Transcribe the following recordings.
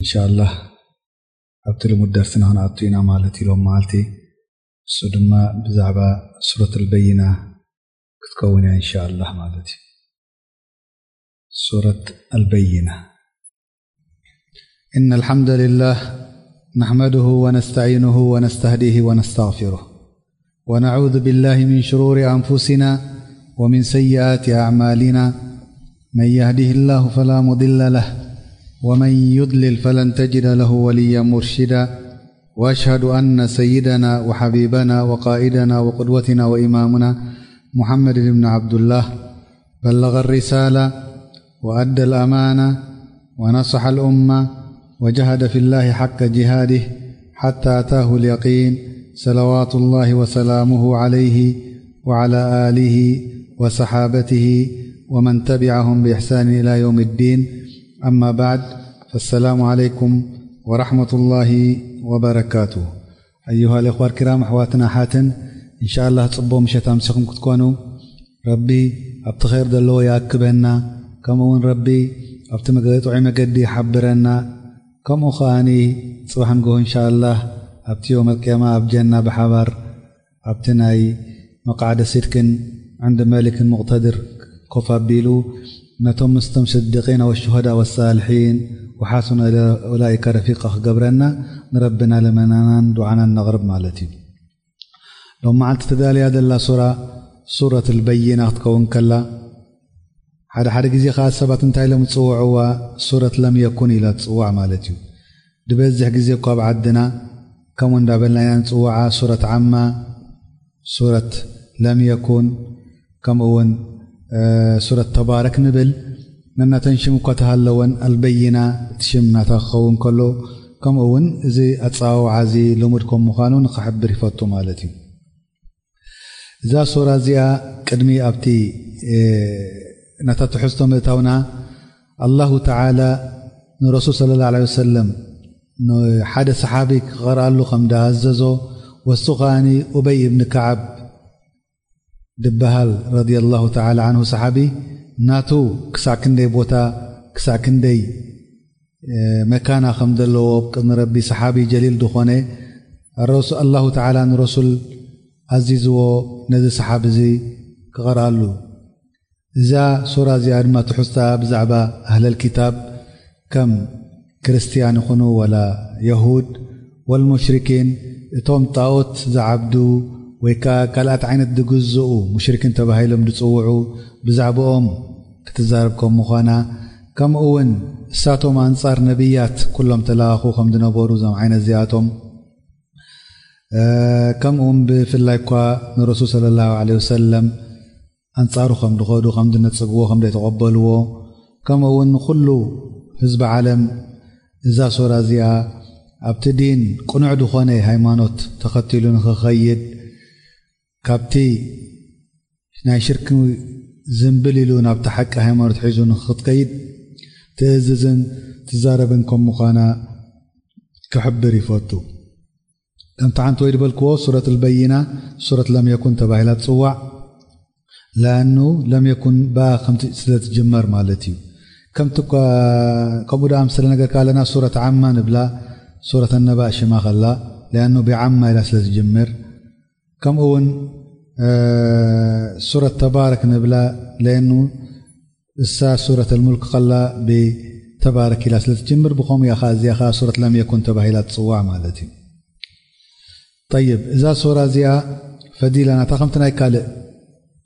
ኢንሻኣላህ ኣብቲ ልሙድ ደርስና ክንኣቱ ኢና ማለት እዩ ሎም መዓልቲ። እሱ ድማ ብዛዕባ ሱረት ኣልበይና ክትከውን እያ ኢንሻኣላህ ማለት እዩ። ሱረት ኣልበይና። إن الحمد لله نحمده ونستعينه ونستهديه ونستغفره، ونعوذ بالله من شرور أنفسنا ومن سيئات أعمالنا. من يهده الله فلا مضل له، ومن يضلل فلن تجد له وليا مرشدا. وأشهد أن سيدنا وحبيبنا وقائدنا وقدوتنا وإمامنا محمد بن عبد الله بلغ الرسالة وأدى الأمانة ونصح الأمة وجاهد في الله حق جهاده حتى أتاه اليقين، صلوات الله وسلامه عليه وعلى آله وصحابته ومن تبعهم بإحسان إلى يوم الدين. أما بعد، فالسلام عليكم ورحمة الله وبركاته. أيها الإخوة الكرام، أحواتنا حاتن، إن شاء الله ጽቡቕ ምሸት ኣምሲኹም ክትኮኑ ረቢ ኣብቲ ኸይር ዘለዎ ይኣክበና። ከምኡ እውን ረቢ ኣብቲ መገ-፣ ጥዑይ መገዲ ይሓብረና። ከምኡ ኸኣኒ ጽባሕ ንግሆ ኢንሻኣላህ ኣብቲ የውመል ቅያማ ኣብ ጀና ብሓባር ኣብቲ ናይ መቃዕደ ሲድቅን ዕንዲ መሊክን ሙቕተድር ኮፍ ኣቢሉ ነቶም ምስቶም ስድቂን ወሹሃዳ ወሳልሒን ወሓሱነ ኡላኢከ ረፊቃ ክገብረና ንረብና ልመናናን ዱዓናን ነቕርብ ማለት እዩ። ሎም መዓልቲ ተዳልያ ዘላ ሱራ ሱረት ኣልበይና ክትከውን ከላ፣ ሓደ ሓደ ግዜ ኸዓ ሰባት እንታይ ኢሎም ዝጽውዕዋ ሱረት ለም የኩን ኢላ ትጽዋዕ ማለት እዩ። ዝበዝሕ ግዜ እኳ ኣብ ዓድና ከምኡ እንዳበልና ኢና ንጽውዓ፣ ሱረት ዓማ፣ ሱረት ለም የኩን፣ ከምኡ እውን እ፣ ሱረት ተባረክ ንብል። ነናተን ሽም እኳ ተሃለወን ኣልበይና እቲ ሽም ናታ ክኸውን ከሎ፣ ከምኡ እውን እዚ ኣጸዋውዓ እዚ ልሙድ ከም ምዃኑ ንኽሕብር ይፈቱ ማለት እዩ። እዛ ሱራ እዚኣ ቅድሚ ኣብቲ እ፣ ናታ ትሕዝቶ ምእታውና ኣላሁ ተዓላ ንረሱል ሰለላሁ ዐለይሂ ወሰለም ንሓደ ሰሓቢ ክቐርኣሉ ከም ደኣዘዞ፣ ወሱ ከኣኒ ኡበይ እብኒ ከዓብ ድበሃል ረዲየላሁ ተዓላ ዓንሁ ሰሓቢ ናቱ ክሳዕ ክንደይ ቦታ ክሳዕ ክንደይ እ፣ መካና ከም ዘለዎ ኣብ ቅድሚ ረቢ ሰሓቢ ጀሊል ዝኾነ ረሱ-፣ ኣላሁ ተዓላ ንረሱል ኣዚዝዎ ነዚ ሰሓቢ እዚ ክቐርኣሉ። እዛ ሱራ እዚኣ ድማ ትሕዝታ ብዛዕባ ኣህለል ኪታብ ከም ክርስትያን ይኹኑ ወላ የሁድ ወልሙሽሪኪን እቶም ጣኦት ዝዓብዱ ወይ ከኣ ካልኣት ዓይነት ዝግዝኡ ሙሽሪኪን ተባሂሎም ዝጽውዑ ብዛዕባኦም ክትዛረብ ከም ምዃና፣ ከምኡ እውን እሳቶም ኣንጻር ነቢያት ኩሎም ተለኣኹ ከም ዝነበሩ እዞም ዓይነት እዚኣቶም እ፣ ከምኡ እውን ብፍላይ እኳ ንረሱል ሰለላሁ ዐለይሂ ወሰለም ኣንጻሩ ከም ዝኸዱ፣ ከም ዝነጽግዎ፣ ከም ዘይተቐበልዎ፣ ከምኡ እውን ንኹሉ ህዝቢ ዓለም እዛ ሱራ እዚኣ ኣብቲ ዲን ቅኑዕ ዝኾነ ሃይማኖት ተኸቲሉ ንኽኸይድ፣ ካብቲ ናይ ሽርኪ ዝንብል ኢሉ ናብቲ ሓቂ ሃይማኖት ሒዙ ንኽትከይድ ትእዝዝን ትዛረብን ከም ምዃና ክሕብር ይፈቱ። ከምቲ ሓንቲ ወይ ዝበልክዎ ሱረት ኣልበይና ሱረት ለም የኩን ተባሂላ ትጽዋዕ። ለኣኑ ለም የኩን ብኣ ከምቲ ስለ ትጅመር ማለት እዩ። ከምቲ እኳ፣ ከምኡ ደኣ ምስ ነገር ከለና ሱረት ዓማ ንብላ፣ ሱረት ኣነባእ ሽማ ከላ፣ ለኣኑ ብዓማ ኢላ ስለ ትጅምር። ከምኡ እውን፣ እ፣ ሱረት ተባረክ ንብላ፣ ለኣኑ እሳ ሱረት ኣልሙልክ ከላ ብተባረክ ኢላ ስለ ትጅምር፣ ብኸምኡ እያ ኸዓ እዚኣ ኸዓ ሱረት ለም የኩን ተባሂላ ትጽዋዕ ማለት እዩ። ጠይብ፣ እዛ ሱራ እዚኣ ፈዲላ ናታ ከምቲ ናይ ካልእ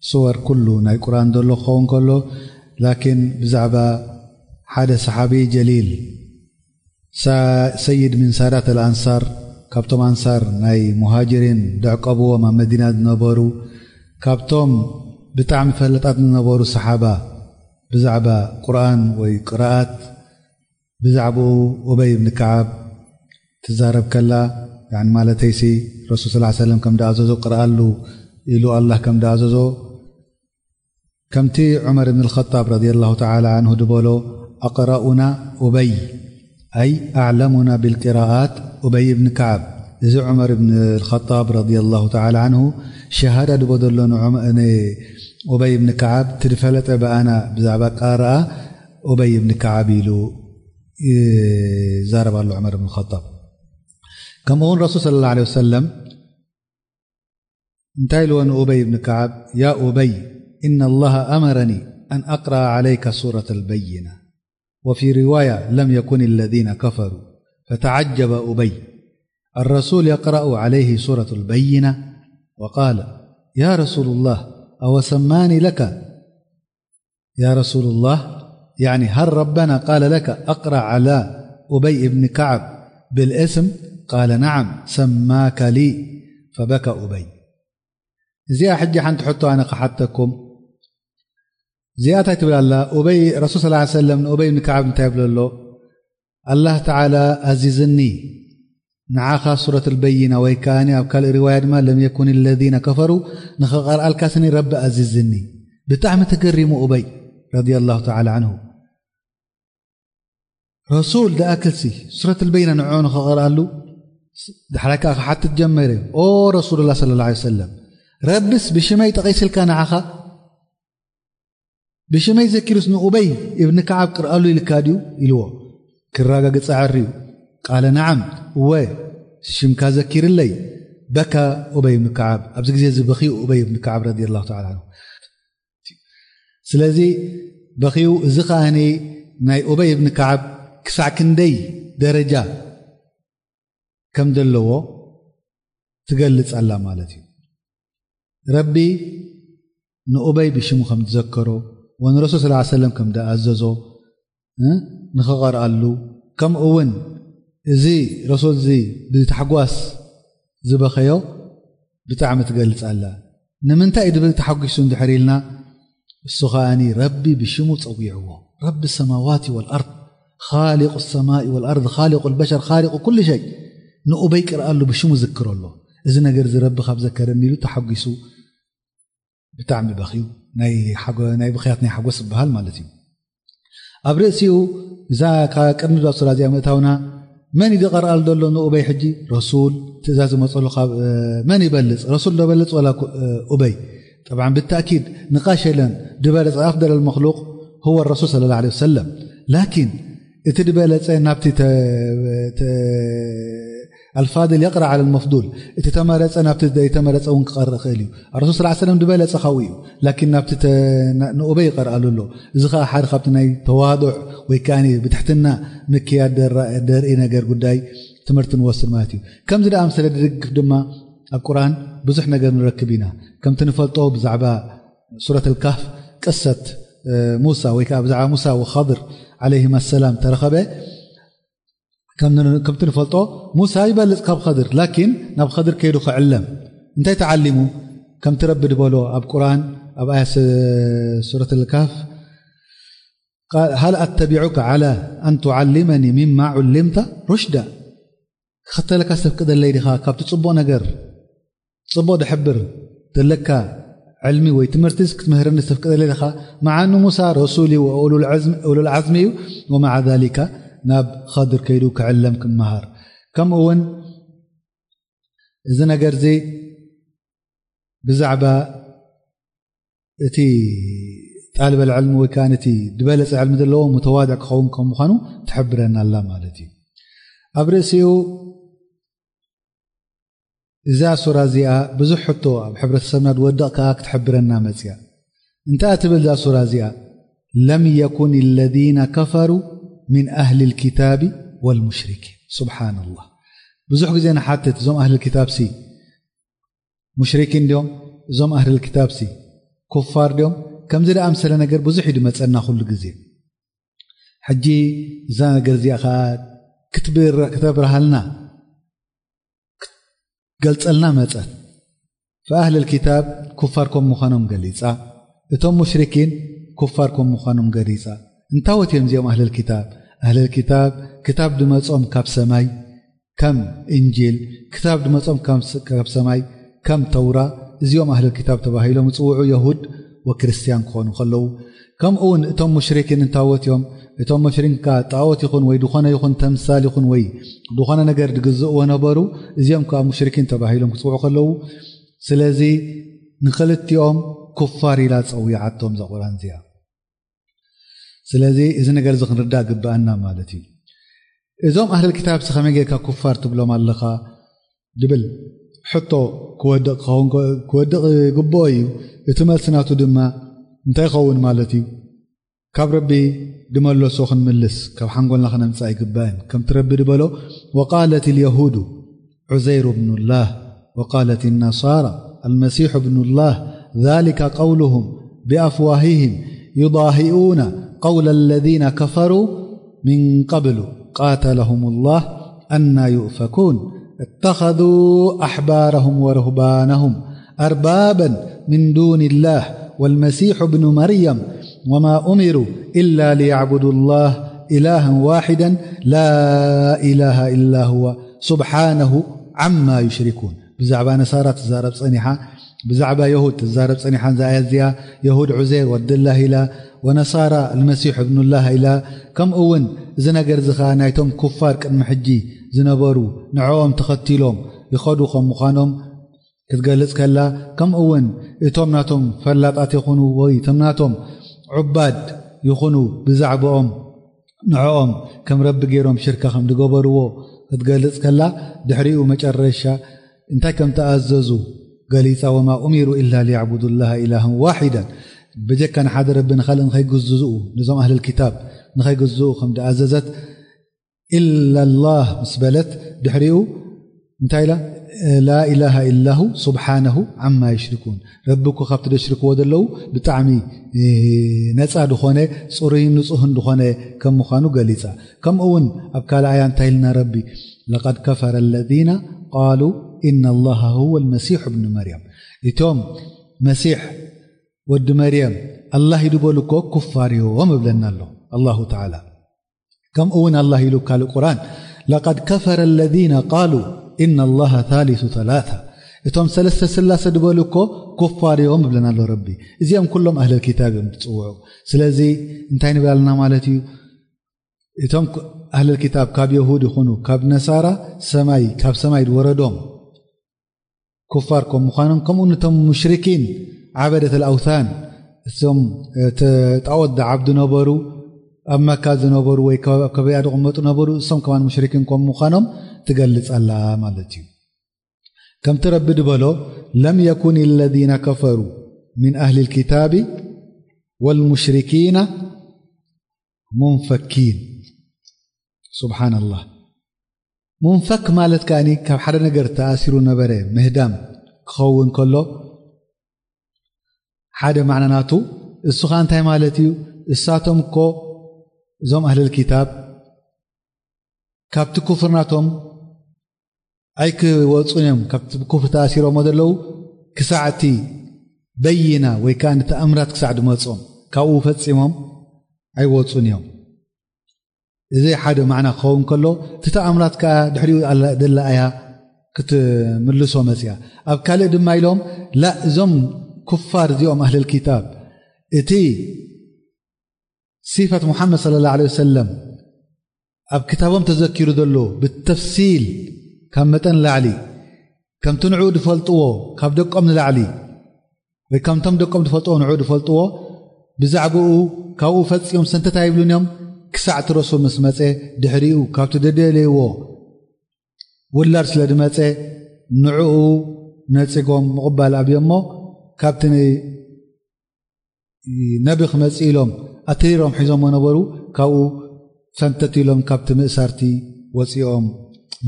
ሱወር ኩሉ ናይ ቁርኣን ዘሎ ክኸውን ከሎ፣ ላኪን ብዛዕባ ሓደ ሰሓቢ ጀሊል፣ ሳ-፣ ሰይድ ምን ሳዳት ኣልኣንሳር፣ ካብቶም ኣንሳር ናይ ሙሃጅሪን ዘዕቀብዎም ኣብ መዲና ዝነበሩ፣ ካብቶም ብጣዕሚ ፈለጣት ዝነበሩ ሰሓባ ብዛዕባ ቁርኣን ወይ ቅራኣት፣ ብዛዕባኡ ኡበይ እብኒ ከዓብ ትዛረብ ከላ፣ ያኒ ማለተይሲ ረሱል ሰለላሁ ዐለይሂ ወሰለም ከም ደኣዘዞ ቅርኣሉ ኢሉ ኣላህ ከም ደኣዘዞ፣ ከምቲ ዑመር እብን ኣልኸጣብ ረዲየላሁ ተዓላ ዓንሁ ድበሎ፣ ኣቅረኡና ኡበይ፣ ኣይ ኣዕለሙና ቢልቂራኣት ኡበይ እብን ከዓብ። እዚ ዑመር እብን ኣልኸጣብ ረዲየላሁ ተዓላ ዓንሁ ሸሃዳ ድቦ ዘሎ ንዑመ-፣ ንኡበይ እብን ከዓብ፣ እቲ ዝፈለጠ ብኣና ብዛዕባ ቃርኣ ኡበይ እብን ከዓብ ኢሉ ይዛረብ ኣሎ ዑመር ብን ኸጣብ። ከምኡ እውን ረሱል ሰለላሁ ዐለይሂ ወሰለም እንታይ ኢልዎ ንኡበይ ብን ከዓብ? يا أبي، إن الله أمرني أن أقرأ عليك سورة البينة، وفي رواية لم يكن الذين كفروا، فتعجب أبي، الرسول يقرأ عليه سورة البينة؟ وقال: يا رسول الله، أو سماني لك؟ يا رسول الله، يعني هل ربنا قال لك أقرأ على أبي بن كعب بالاسم؟ قال: نعم، سماك لي. فبكى أبي. እዚኣ ሕጂ ሓንቲ ሕቶ ኣነ ክሓተኩም። እዚኣ እንታይ ትብል ኣላ? ኡበይ፣ ረሱል ሰለላሁ ዐለይሂ ወሰለም ንኡበይ ብን ከዓብ እንታይ ይብሎ ኣሎ? ኣላህ ተዓላ ኣዚዝኒ ንዓኻ ሱረት ኣልበይና ወይ ከኣኒ ኣብ ካልእ ሪዋያ ድማ ለም የኩን ለዚነ ከፈሩ ንኸቐርኣልካ ስኒ ረቢ ኣዚዝኒ። ብጣዕሚ ተገሪሙ ኡበይ ረዲየላሁ ተዓላ ዐንሁ። ረሱል ደኣክልሲ ሱረት ኣልበይና ንዕኡ ንኸቐርኣሉ ድሕራይ ከኣ ክሓትት ጀመረ። ኦ ረሱሉላህ ሰለላሁ ዐለይሂ ወሰለም፣ ረብስ ብሽመይ ጠቒስልካ ንዓኻ ብሽመይ ዘኪሩስ ንኡበይ እብኒ ከዓብ ቅርኣሉ ኢልካ ድዩ ኢልዎ። ክረጋግጽ ኣዕርዩ ቃለ ነዓም፣ እወ ሽምካ ዘኪርለይ። በካ ኡበይ እብኒ ከዓብ። ኣብዚ ግዜ እዚ በኺዩ ኡበይ እብኒ ከዓብ ረዲየላሁ ተዓላ ዐንሁ። ስለዚ በኺዩ። እዚ ከኣኒ ናይ ኡበይ እብኒ ከዓብ ክሳዕ ክንደይ ደረጃ ከም ዘለዎ ትገልጽ ኣላ ማለት እዩ። ረቢ ንኡበይ ብሽሙ ከም ዝዘከሮ ወንረሱል ሰለላሁ ዐለይሂ ወሰለም ከም ዝኣዘዞ፣ እ፣ ንኽቐርኣሉ፣ ከምኡ እውን እዚ ረሱል እዚ ብታሕጓስ ዝበኸዮ ብጣዕሚ ትገልጽ ኣላ። ንምንታይ እዩ ድብል ተሓጒሱ እንድሕር ኢልና፣ እሱ ኸኣኒ ረቢ ብሽሙ ጸዊዕዎ። ረቢ ሰማዋቲ ወልኣርድ፣ ኻሊቁ ሰማኢ ወልኣርድ፣ ኻሊቁ ልበሸር፣ ኻሊቁ ኩሉ ሸይ። ንኡበይ ቅርኣሉ፣ ብሽሙ ዝክረሎ። እዚ ነገር እዚ ረቢ ካብ ዘከረኒ ኢሉ ተሓጒሱ ብጣዕሚ በኽዩ። ናይ ሓጎ-፣ ናይ ብኽያት ናይ ሓጎስ ዝበሃል ማለት እዩ። ኣብ ርእሲኡ እዛ ካብ ቅድሚ እዛ ሱራ እዚኣ ምእታውና መን እዩ ዝቐርኣሉ ዘሎ ንኡበይ? ሕጂ ረሱል ትእዛዝ ዝመፀሉ ካብ፣ እ፣ መን ይበልፅ? ረሱል ዶ በልፅ ወላ ኩ-፣ እ፣ ኡበይ? ጠብዓን ብተእኪድ ንቃሽ የለን። ድበለፅ ኣፍደለል መክሉቅ ሁወ ረሱል ሰለላሁ ዐለይሂ ወሰለም። ላኪን እቲ ድበለፀ ናብቲ ተ-፣ ተ-፣ ኣልፋድል የቕራ ዓለል መፍዱል፣ እቲ ተመረፀ ናብቲ ዘይተመረፀ እውን ክቐርእ ይኽእል እዩ። ኣረሱል ሰለላሁ ዐለይሂ ወሰለም ዝበለፀ ካብኡ እዩ። ላኪን ናብቲ ተ-፣ ና-፣ ንኡበይ ይቐርኣሉ ኣሎ። እዚ ኸዓ ሓደ ካብቲ ናይ ተዋዱዕ ወይ ከኣ ብትሕትና ምክያድ ደራ-፣ ደርኢ ነገር ጉዳይ ትምህርቲ ንወስድ ማለት እዩ። ከምዚ ደኣ ኣምሰለ ድድግፍ ድማ ኣብ ቁርኣን ብዙሕ ነገር ንረክብ ኢና። ከምቲ ንፈልጦ ብዛዕባ ሱረት ኣልካህፍ ቅሰት፣ እ፣ ሙሳ ወይ ከኣ ብዛዕባ ሙሳ ወኸድር ዓለይሂማ ሰላም ተረኸበ። ከም ን-፣ ከምቲ ንፈልጦ ሙሳ ይበልጽ ካብ ኸድር፣ ላኪን ናብ ኸድር ከይዱ ክዕለም። እንታይ ተዓሊሙ? ከምቲ ረቢ ድበሎ ኣብ ቁርኣን፣ ኣብ ኣያ ስ-፣ ሱረት ኣልካህፍ፣ ቃል፣ "ሀል ኣተቢዑከ ዐላ ኣን ቱዓሊመኒ ሚማ ዑሊምተ ሩሽዳ?" ክኽተለካ ተፍቅደለይ ዲኻ? ካብቲ ጽቡቕ ነገር፣ ጽቡቕ ድሕብር ዘለካ ዕልሚ ወይ ትምህርቲስ ክትምህረኒ ተፍቅደለይ ዲኻ? መዓ ኣኑ ሙሳ ረሱል እዩ፣ ወኡሉል ዐዝም-፣ ኡሉል ዐዝሚ እዩ። ወመዓ ዛሊካ ናብ ኸድር ከይዱ ክዕለም ክመሃር። ከምኡ እውን እዚ ነገር እዚ ብዛዕባ እቲ ጣልበል ዕልሚ ወይ ከኣ እቲ ዝበለጸ ዕልሚ ዘለዎ ሙተዋድዕ ክኸውን ከም ምዃኑ ትሕብረና ኣላ ማለት እዩ። ኣብ ርእሲኡ እዛ ሱራ እዚኣ ብዙሕ ሕቶ ኣብ ሕብረተሰብና ዝወድቕ ከኣ ክትሕብረና መጽያ። እንታይ ትብል እዛ ሱራ እዚኣ? "ለም የኩን ለዚነ ከፈሩ ሚን ኣህሊል ኪታቢ ወልሙሽሪኪን።" ሱብሓነላህ። ብዙሕ ግዜ ንሓትት፣ እዞም ኣህሊል ኪታብሲ ሙሽሪኪን ድዮም? እዞም ኣህሊል ኪታብሲ ኩፋር ድዮም? ከምዚ ደኣምሰለ ነገር ብዙሕ እዩ ድመጸና ኩሉ ግዜ። ሕጂ እዛ ነገር እዚኣ ኸኣ ክትብር-፣ ክተብርሃልና፣ ክትገልጸልና መጸት። ፈኣህለል ኪታብ ኩፋር ከም ምዃኖም ገሊጻ፣ እቶም ሙሽሪኪን ኩፋር ከም ምዃኖም ገሊጻ። እንታወት እዮም እዚኦም ኣህለል ኪታብ? ኣህለል ኪታብ ክታብ ድመጾም ካብ ሰማይ ከም እንጂል፣ ክታብ ድመጾም ካብ ስ-፣ ካብ ሰማይ ከም ተውራ፣ እዚኦም ኣህለል ኪታብ ተባሂሎም ዝጽውዑ የሁድ ወክርስትያን ክኾኑ ከለዉ፣ ከምኡ እውን እቶም ሙሽሪኪን እንታወት እዮም? እቶም ሙሽሪኪን ከኣ ጣዖት ይኹን ወይ ዝኾነ ይኹን ተምሳል ይኹን ወይ ዝኾነ ነገር ድግዝእዎ ነበሩ። እዚኦም ከኣ ሙሽሪኪን ተባሂሎም ክጽውዑ ከለዉ፣ ስለዚ ንኽልቲኦም ኩፋር ኢላ ጸዊዓቶም እዛ ቁርኣን እዚኣ። ስለዚ እዚ ነገር እዚ ክንርዳእ ግብኣና ማለት እዩ። እዞም ኣህለል ክታብ ከመይ ጌርካ ኩፋር ትብሎም ኣለኻ ድብል ሕቶ ክወድቕ ክኸውን ክወድቕ ይግብኦ እዩ። እቲ መልሲ ናቱ ድማ እንታይ ይኸውን ማለት እዩ? ካብ ረቢ ድመለሶ ክንምልስ ካብ ሓንጎልና ክነምጽእ ኣይግባእን። ከምቲ ረቢ ድበሎ፣ وقالت اليهود عزير ابن الله وقالت النصارى المسيح ابن الله ذلك قولهم بأفواههم يضاهئون قول الذين كفروا من قبل قاتلهم الله أنى يؤفكون اتخذوا أحبارهم ورهبانهم أربابا من دون الله والمسيح ابن مريم وما أمروا إلا ليعبدوا الله إلها واحدا لا إله إلا هو سبحانه عما يشركون. ብዛዕባ ነሳራ ትዛረብ ጸኒሓ፣ ብዛዕባ የሁድ ትዛረብ ጸኒሓ። እዛ ኣያ እዚኣ የሁድ ዑዜር ወድላህ ኢላ፣ ወነሳራ ልመሲሕ እብኑላህ ኢላ። ከምኡ እውን እዚ ነገር እዚ ኸዓ ናይቶም ኩፋር ቅድሚ ሕጂ ዝነበሩ ንዕኦም ተኸቲሎም ይኸዱ ከም ምዃኖም ክትገልጽ ከላ፣ ከምኡ እውን እቶም ናቶም ፈላጣት ይኹኑ ወይ እቶም ናቶም ዑባድ ይኹኑ ብዛዕባኦም ንዕኦም ከም ረቢ ገይሮም ሽርካ ከም ዝገበርዎ ክትገልጽ ከላ፣ ድሕሪኡ መጨረሻ እንታይ ከም ተኣዘዙ ገሊጻ፣ وما أمروا إلا ليعبدوا الله إلها واحدا፣ ብጀካ ንሓደ ረቢ ንኻልእ ንኸይግዝኡ፣ ነዞም ኣህለል ክታብ ንኸይግዝኡ ከም ዝኣዘዘት፣ إلا الله ምስ በለት ድሕሪኡ እንታይ ኢላ? لا إله إلا هو سبحانه عما يشركون። ረቢ እኮ ካብቲ ደሽርክዎ ዘለዉ ብጣዕሚ፣ እ፣ ነጻ ዝኾነ፣ ጽሩይን ንጹህን ዝኾነ ከም ምዃኑ ገሊጻ። ከምኡ እውን ኣብ ካልእ ኣያ እንታይ ኢልና ረቢ? لقد كفر الذين قالوا إن الله هو المسيح ابن مريم። እቶም መሲሕ ወዲ መርየም ኣላህ እዩ ዝበሉ እኮ ኩፋር እዮም እብለና ኣሎ ኣላሁ ተዓላ። ከምኡ እውን ኣላህ ኢሉ ካልእ ቁርኣን፣ لقد كفر الذين قالوا إن الله ثالث ثلاثة። እቶም ሰለስተ ስላሰ ዝበሉ እኮ ኩፋር እዮም እብለና ኣሎ ረቢ። እዚኦም ኩሎም ኣህለል ክታብ እዮም ዝጽውዑ። ስለዚ እንታይ ንብል ኣለና ማለት እዩ? እቶም ኣህለል ክታብ ካብ የሁድ ይኹኑ ካብ ነሳራ ሰማይ፣ ካብ ሰማይ ዝወረዶም ኩፋር ከም ምዃኖም፣ ከምኡ ነቶም ሙሽሪኪን ዓበደት ኣልኣውታን፣ እሶም፣ እ፣ ተ-፣ ጣዖት ዝዓብዱ ነበሩ፣ ኣብ መካ ዝነበሩ ወይ ከ-፣ ኣብ ከባቢኣ ዝቕመጡ ነበሩ፣ እሶም ከማን ሙሽሪኪን ከም ምዃኖም ትገልጽ ኣላ ማለት እዩ። ከምቲ ረቢ ዝበሎ፣ لم يكن الذين كفروا من أهل الكتاب والمشركين منفكين. سبحان الله. ሙንፈክ ማለት ከኣኒ ካብ ሓደ ነገር ተኣሲሩ ነበረ ምህዳም ክኸውን ከሎ፣ ሓደ ማዕና ናቱ እሱ ኸኣ እንታይ ማለት እዩ? እሳቶም እኮ እዞም ኣህለል ክታብ ካብቲ ኩፍር ናቶም ኣይክወጹን እዮም። ካብቲ ኩፍር ተኣሲሮሞ ዘለዉ ክሳዕ እቲ በይና ወይ ከኣ ንተኣምራት ክሳዕ ድመጾም ካብኡ ፈጺሞም ኣይወጹን እዮም። እዚ ሓደ ማዕና ክኸውን ከሎ፣ እቲ ተኣምራት ከኣ ድሕሪኡ ኣላ-፣ ደላ እያ ክትምልሶ መጽያ። ኣብ ካልእ ድማ ኢሎም፣ ላ፣ እዞም ኩፋር እዚኦም ኣህለል ክታብ፣ እቲ ሲፈት ሙሓመድ ሰለላሁ ዐለይሂ ወሰለም ኣብ ክታቦም ተዘኪሩ ዘሎ ብተፍሲል ካብ መጠን ላዕሊ፣ ከምቲ ንዕኡ ዝፈልጥዎ ካብ ደቆም ንላዕሊ፣ ወይ ከምቶም ደቆም ዝፈልጥዎ ንዕኡ ዝፈልጥዎ፣ ብዛዕባኡ ካብኡ ፈጺሞም ሰንተት ኣይብሉን እዮም፣ ክሳዕ እቲ ረሱል ምስ መጸ፣ ድሕሪኡ ካብቲ ደደለይዎ ውላድ ስለ ዝመጸ፣ ንዕኡ ነጺጎም ምቕባል ኣብዮሞ፣ ካብቲ ን-፣ ነቢ ክመጽእ ኢሎም ኣትሪሮም ሒዞሞ ነበሩ፣ ካብኡ ፈንተት ኢሎም ካብቲ ምእሳርቲ ወጺኦም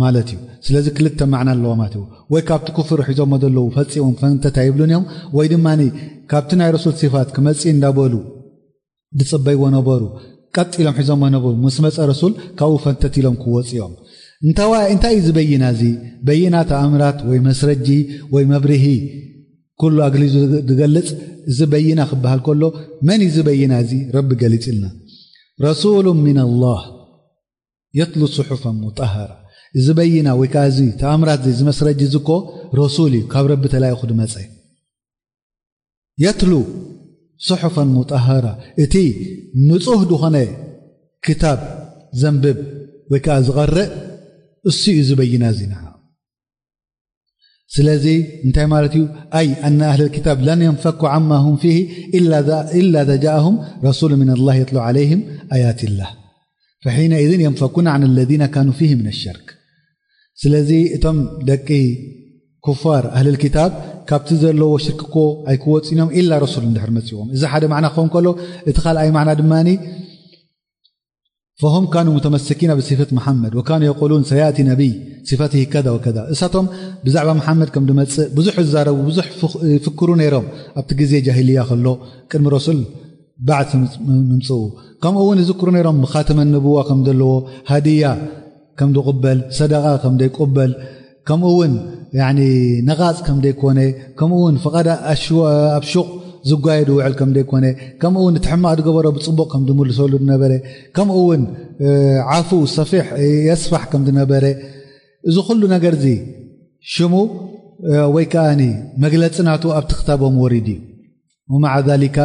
ማለት እዩ። ስለዚ ክልተ ማዕና ኣለዎ ማለት እዩ። ወይ ካብቲ ኩፍር ሒዞሞ ዘለዉ ፈጺሞም ፈንተት ኣይብሉን እዮም፣ ወይ ድማ ካብቲ ናይ ረሱል ሲፋት ክመጽእ እንዳበሉ ዝጽበይዎ ነበሩ፣ ቀጥ ኢሎም ሒዞሞ ነበሩ። ምስ መጸ ረሱል ካብኡ ፈንተት ኢሎም ክወጹ እዮም። እንታዋ-፣ እንታይ እዩ እዚ በይና እዚ? በይና ተኣምራት ወይ መስረጂ ወይ መብርሂ ኩሉ ኣግሊዙ ዝገልጽ እዚ በይና ክበሃል ከሎ፣ መን እዩ እዚ በይና እዚ? ረቢ ገሊጽልና። ረሱሉ ሚነላህ የትሉ ሱሑፈን ሙጠሃራ። እዚ በይና ወይ ከኣ እዚ ተኣምራት እዚ፣ እዚ መስረጂ እዚ እኮ ረሱል እዩ፣ ካብ ረቢ ተላኢኹ ዝመጸ። የትሉ ሱሑፈን ሙጠሃራ፣ እቲ ንጹህ ዝኾነ ክታብ ዘንብብ ወይ ከኣ ዝቐርእ እሱ እዩ እዚ በይና እዚ ንዓ። ስለዚ እንታይ ማለት እዩ? ኣይ ኣነ ኣህለል ክታብ ለን የንፈኩ ዓማ ሁም ፊሂ ኢላ ዛ-፣ ኢላ ዘጃአሁም ረሱሉ ሚነላህ የትሉ ዓለይሂም ኣያቲላህ። فحينئذ ينفكون عن الذين كانوا فيه من الشرك. ስለዚ እቶም ደቂ ኩፋር ኣህልል ኪታብ ካብቲ ዘለዎ ሽርክ እኮ ኣይክወፅን እዮም፣ ኢላ ረሱል እንድሕር መፅዎም። እዚ ሓደ ማዕና ክኸውን ከሎ፣ እቲ ካልኣይ ማዕና ድማ فهم كانوا متمسكين بصفة محمد وكانوا يقولون سيأتي نبي صفته كذا وكذا። እሳቶም ብዛዕባ መሓመድ ከም ድመፅእ ብዙሕ ይዛረቡ፣ ብዙሕ ፍኽ- ይፍክሩ ነይሮም። ኣብቲ ግዜ ጃሂልያ ከሎ፣ ቅድሚ ረሱል ባዕት ምምፅኡ፣ ከምኡ እውን ይዝክሩ ነይሮም። ብኻተመ ንብዋ ከም ዘለዎ፣ ሃድያ ከም ዝቕበል፣ ሰደቓ ከም ዘይቅበል፣ ከምኡ እውን ያኒ ነቓጽ ከም ዘይኮነ፣ ከምኡ እውን ፍቓድ ኣሽወ- ኣብ ሹቕ ዝጓየ ዝውዕል ከም ዘይኮነ፣ ከምኡ እውን እቲ ሕማቕ ዝገበሮ ብጽቡቕ ከም ዝምልሰሉ ዝነበረ፣ ከምኡ እውን እ፣ ዓፉ ሰፊሕ የስፋሕ ከም ዝነበረ፣ እዚ ኩሉ ነገር እዚ ሽሙ እ፣ ወይ ከኣኒ መግለጺ ናቱ ኣብቲ ክታቦም ወሪዱ እዩ። ومع ذلك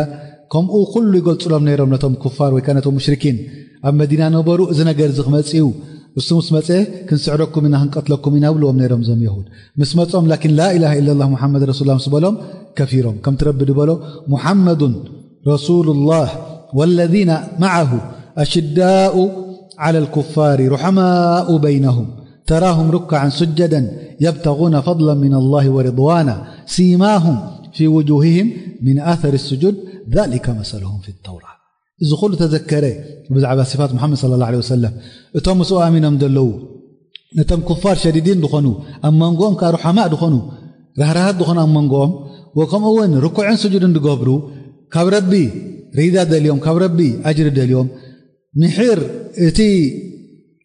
ከምኡ ኩሉ ይገልጹሎም ነይሮም ነቶም ኩፋር ወይ ከኣ ነቶም ሙሽሪኪን ኣብ መዲና ነበሩ። እዚ ነገር እዚ ክመጽእ እዩ፣ እሱ ምስ መጸ ክንስዕረኩም ኢና ክንቀትለኩም ኢና ብልዎም ነይሮም እዞም የሁድ። ምስ መጾም ላኪን لا إله إلا الله محمد رسول الله ምስ በሎም ከፊሮም። ከምቲ ረቢ ዝበሎ محمد رسول الله والذين معه أشداء على الكفار رحماء بينهم تراهم ركعا سجدا يبتغون فضلا من الله ورضوانا سيماهم في وجوههم من أثر السجود ذلك مثلهم في التوراة. እዚ ኩሉ ተዘከረ ብዛዕባ صفات محمد صلى الله عليه وسلم። እቶም ምስኡ ኣሚኖም ዘለዉ ነቶም ኩፋር ሸዲዲን ዝኾኑ፣ ኣብ መንጎኦም ከኣ ሩሓማእ ዝኾኑ፣ ራህራሃት ዝኾኑ ኣብ መንጎኦም፣ ወከምኡ እውን ርኩዕን ስጁድን ዝገብሩ፣ ካብ ረቢ ሪዳ ደልዮም፣ ካብ ረቢ ኣጅሪ ደልዮም፣ ምሒር እቲ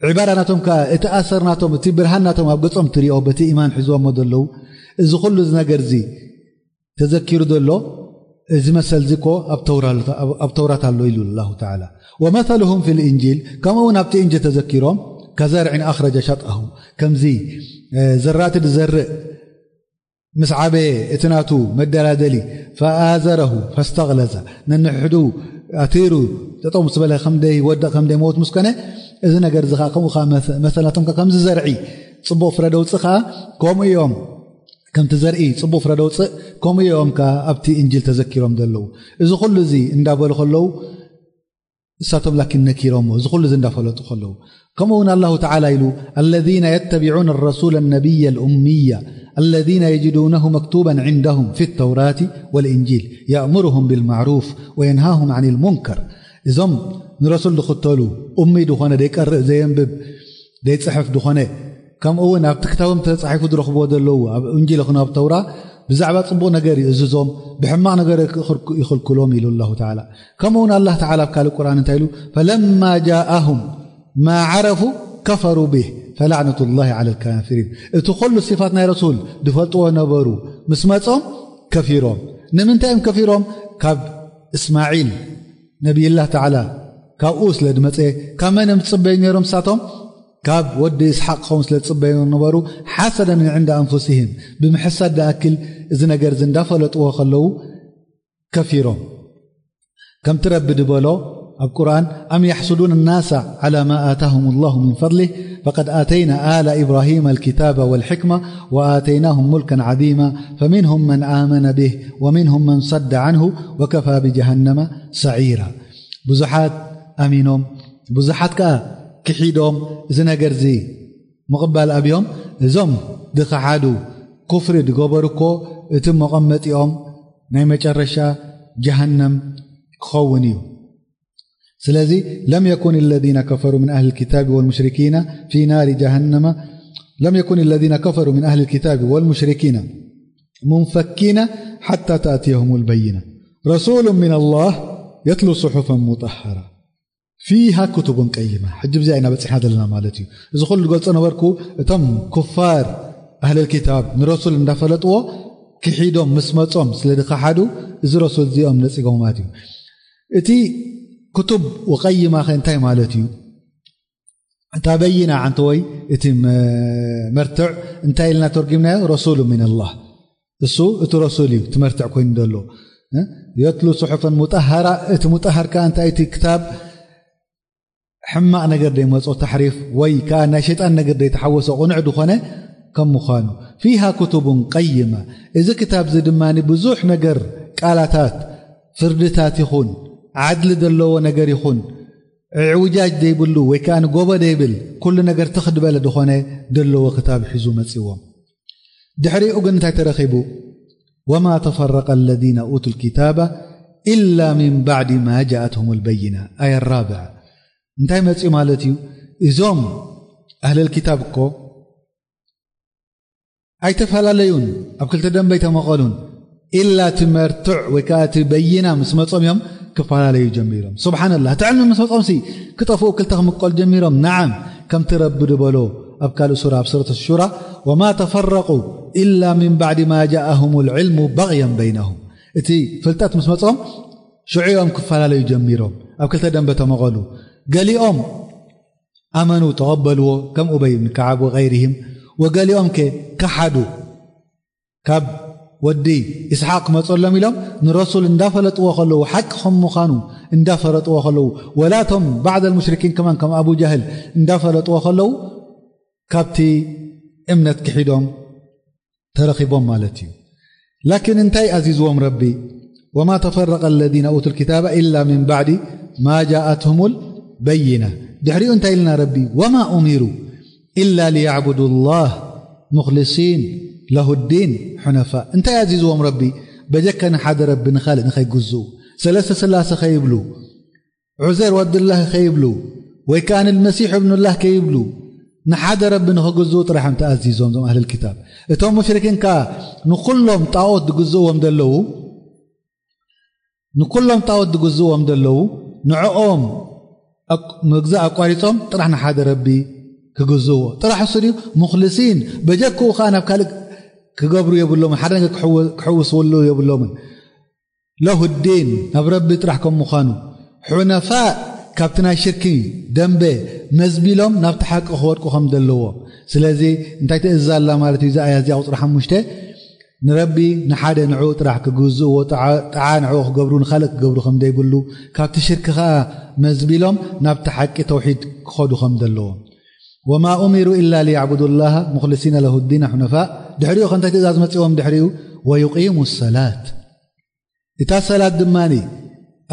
ዒባዳ ናቶም ከኣ፣ እቲ ኣሰር ናቶም፣ እቲ ብርሃን ናቶም ኣብ ገጾም ትሪኦ፣ በቲ ኢማን ሒዝዎሞ ዘለዉ። እዚ ኩሉ እዚ ነገር እዚ ተዘኪሩ ዘሎ፣ እዚ መሰል እዚ እኮ ኣብ ተውራ-፣ ኣብ፣ ኣብ ተውራት ኣሎ ኢሉ ኣላሁ ተዓላ። ومثلهم في الإنجيل፣ ከምኡ እውን ኣብቲ እንጅል ተዘኪሮም፣ كزرع أخرج شطأه፣ ከምዚ፣ እ፣ ዘራእቲ ዝዘርእ ምስ ዓበየ እቲ ናቱ መደላደሊ፣ فآزره فاستغلظ፣ ነንሕዱ ኣቲሩ ጠጠው ምስ በለ ከም ደይወድቕ ከም ደይመውት ምስ ኮነ፣ እዚ ነገር እዚ ኸዓ ከምኡ ኸዓ መሰ-፣ መሰላቶም ከኣ ከምዚ ዘርኢ ጽቡቕ ፍረ ደውጽእ ኸዓ ከምኡ እዮም። ከምቲ ዘርኢ ጽቡቕ ፍረ ደውጽእ፣ ከምኡ እዮም ከኣ ኣብቲ እንጅል ተዘኪሮም ዘለዉ። እዚ ኩሉ እዚ እንዳበሉ ከለዉ፣ እሳቶም ላኪን ነኪሮሞ፣ እዚ ኩሉ እዚ እንዳፈለጡ ከለዉ። ከምኡ እውን ኣላሁ ተዓላ ኢሉ፣ الذين يتبعون الرسول النبي الأمي الذين يجدونه مكتوبا عندهم في التوراة والإنجيل يأمرهم بالمعروف وينهاهم عن المنكر። እዞም ንረሱል ዝኽተሉ፣ ኡሚ ዝኾነ፣ ዘይቀርእ፣ ዘየንብብ፣ ዘይጽሕፍ ዝኾነ፣ ከምኡ እውን ኣብቲ ክታቦም ተጻሒፉ ዝረኽብዎ ዘለዉ፣ ኣብ እንጂል ይኹን ኣብ ተውራ፣ ብዛዕባ ጽቡቕ ነገር ይእዝዞም፣ ብሕማቕ ነገር ይኽልኩ-፣ ይኽልክሎም ኢሉ ኣላሁ ተዓላ። ከምኡ እውን ኣላህ ተዓላ ኣብ ካልእ ቁርኣን እንታይ ኢሉ? فلما جاءهم ما عرفوا كفروا به فلعنة الله على الكافرين። እቲ ኩሉ ሲፋት ናይ ረሱል ዝፈልጥዎ ነበሩ፣ ምስ መጾም ከፊሮም። ንምንታይ እዮም ከፊሮም? ካብ እስማዒል ነቢይላህ ተዓላ ካብኡ ስለ ዝመጸ፣ ካብ መን እዮም ዝጽበዩ ነይሮም ንሳቶም? ካብ ወዲ እስሓቅ ክኸውን ስለ ዝጽበዩ ነበሩ። حسدا من عند أنفسهم፣ ብምሕሳድ ዝኣክል እዚ ነገር እዚ እንዳፈለጥዎ ከለዉ ከፊሮም። ከምቲ ረቢ ዝበሎ ኣብ ቁርኣን፣ أم يحسدون الناس على ما آتاهم الله من فضله فقد آتينا آل إبراهيم الكتاب والحكمة وآتيناهم ملكا عظيما فمنهم من آمن به ومنهم من صد عنه وكفى بجهنم سعيرا። ብዙሓት ኣሚኖም፣ ብዙሓት ከኣ ክሒዶም፣ እዚ ነገር እዚ ምቕባል ኣብዮም። እዞም ዝኸሓዱ፣ ኩፍሪ ዝገበሩ እኮ እቲ መቐመጢኦም ናይ መጨረሻ ጀሃነም ክኸውን እዩ። ስለዚ لم يكن الذين كفروا من أهل الكتاب والمشركين في نار جهنم، لم يكن الذين كفروا من أهل الكتاب والمشركين منفكين حتى تأتيهم البينة رسول من الله يتلو صحفا مطهرة فيها كتب قيمة። ሕጂ ብዚኣ ኢና በጺሕና ዘለና ማለት እዩ። እዚ ኩሉ ዝገልጾ ነበርኩ፣ እቶም ኩፋር ኣህለል ኪታብ ንረሱል እንዳፈለጥዎ ክሒዶም ምስ መጾም ስለ ዝኸሓዱ፣ እዚ ረሱል እዚኦም ነጺጎም ማለት እዩ። እቲ ክቱብ ወቀይማ ኸ እንታይ ማለት እዩ? እታ በይና ዓንተወይ፣ እቲ መ-፣ መርትዕ እንታይ ኢልና ተርጊምናዮ? ረሱሉ ሚነላህ። እሱ እቲ ረሱል እዩ፣ እቲ መርትዕ ኮይኑ ዘሎ። እ? የትሉ ሱሑፈን ሙጠሃራ፣ እቲ ሙጠሃር ከኣ እንታይ? እቲ ክታብ ሕማቕ ነገር ደይመጾ፣ ተሕሪፍ ወይ ከኣ ናይ ሸይጣን ነገር ደይተሓወሶ፣ ቅኑዕ ዝኾነ ከም ምዃኑ። ፊሃ ኩቱቡን ቀይማ፣ እዚ ክታብ እዚ ድማ ብዙሕ ነገር፣ ቃላታት፣ ፍርድታት ይኹን፣ ዓድሊ ዘለዎ ነገር ይኹን፣ ዕውጃጅ ዘይብሉ ወይ ከዓ ንጎቦ ዘይብል ኩሉ ነገር ትኽ ዝበለ ዝኾነ ዘለዎ ክታብ ሒዙ መፂዎም። ድሕሪኡ ግን እንታይ ተረኺቡ? وما تفرق الذين أوتوا الكتاب إلا من بعد ما جاءتهم البينة. ኣያ ራብዓ እንታይ መፅኡ ማለት እዩ? እዞም ኣህለል ኪታብ እኮ ኣይተፈላለዩን፣ ኣብ ክልተ ደንበ ኣይተመቐሉን። ኢላ እቲ መርትዕ ወይ ከዓ እቲ በይና ምስ መጾም እዮም ክፈላለዩ ጀሚሮም። ስብሓንላህ፣ እቲ ዕልሚ ምስ መጾም ሲ ክጠፍኡ ክልተ ክምቀሉ ጀሚሮም። ነዓም፣ ከምቲ ረቢ ዝበሎ ኣብ ካልእ ሱራ፣ ኣብ ሱረት ሹራ፣ وما تفرقوا إلا من بعد ما جاءهم العلم بغيا بينهم። እቲ ፍልጠት ምስ መጾም ሽዑ እዮም ክፈላለዩ ጀሚሮም፣ ኣብ ክልተ ደንበ ተመቐሉ። ገሊኦም ኣመኑ ተቐበልዎ፣ ከም ኡበይ ብን ከዓብ ወገይርህም። ወገሊኦም ከ ከሓዱ። ካብ ወዲ ኢስሓቅ ክመጸሎም ኢሎም ንረሱል እንዳፈለጥዎ ከለዉ፣ ሓቂ ከም ምዃኑ እንዳፈለጥዎ ከለዉ፣ ወላ እቶም ባዕድ ኣልሙሽሪኪን ከማን ከም ኣቡ ጃህል እንዳፈለጥዎ ከለዉ፣ ካብቲ እምነት ክሒዶም ተረኺቦም ማለት እዩ። ላኪን እንታይ ኣዚዝዎም ረቢ? وما تفرق الذين أوتوا الكتاب إلا من بعد ما جاءتهم البينة። ድሕሪኡ እንታይ ኢልና ረቢ? وما أمروا إلا ليعبدوا الله مخلصين له الدين حنفاء። እንታይ ኣዚዝዎም ረቢ? በጀካ ንሓደ ረቢ ንኻልእ ንኸይግዝኡ፣ ሰለስተ ስላሴ ከይብሉ፣ ዑዘር ወድላህ ከይብሉ ወይ ከኣ ንልመሲሕ እብኑላህ ከይብሉ ንሓደ ረቢ ንኽግዝኡ ጥራሕ እዮም ተኣዚዞም እዞም ኣህልል ኪታብ። እቶም ሙሽሪኪን ከኣ ንኹሎም ጣዖት ዝግዝእዎም ዘለዉ፣ ንኹሎም ጣዖት ዝግዝእዎም ዘለዉ ንዕኦም ኣቅ-፣ ምግዛእ ኣቋሪጾም ጥራሕ ንሓደ ረቢ ክግዝእዎ ጥራሕ እሱ ድዩ? ሙኽልሲን በጀክኡ ከኣ ናብ ካልእ ክገብሩ የብሎምን፣ ሓደ ነገር ክሕወ-፣ ክሕውስወሉ የብሎምን። ለሁ ዲን፣ ናብ ረቢ ጥራሕ ከም ምዃኑ፣ ሑነፋእ፣ ካብቲ ናይ ሽርኪ ደንበ መዝቢሎም ናብቲ ሓቂ ክወድቁ ከም ዘለዎ። ስለዚ እንታይ ትእዝዝ ኣላ ማለት እዩ? እዚ ኣያ እዚኣ ቁጽሪ ሓሙሽተ፣ ንረቢ ንሓደ ንዕኡ ጥራሕ ክግዝእዎ፣ ጥዓ፣ ጥዓ ንዕኡ ክገብሩ፣ ንኻልእ ክገብሩ ከም ዘይብሉ፣ ካብቲ ሽርኪ ኸኣ መዝቢሎም ናብቲ ሓቂ ተውሒድ ክኸዱ ከም ዘለዎም። وما أمروا إلا ليعبدوا الله مخلصين له الدين حنفاء። ድሕሪኡ ከ እንታይ ትእዛዝ መጺዎም ድሕሪኡ? ويقيموا الصلاة። እታ ሰላት ድማኒ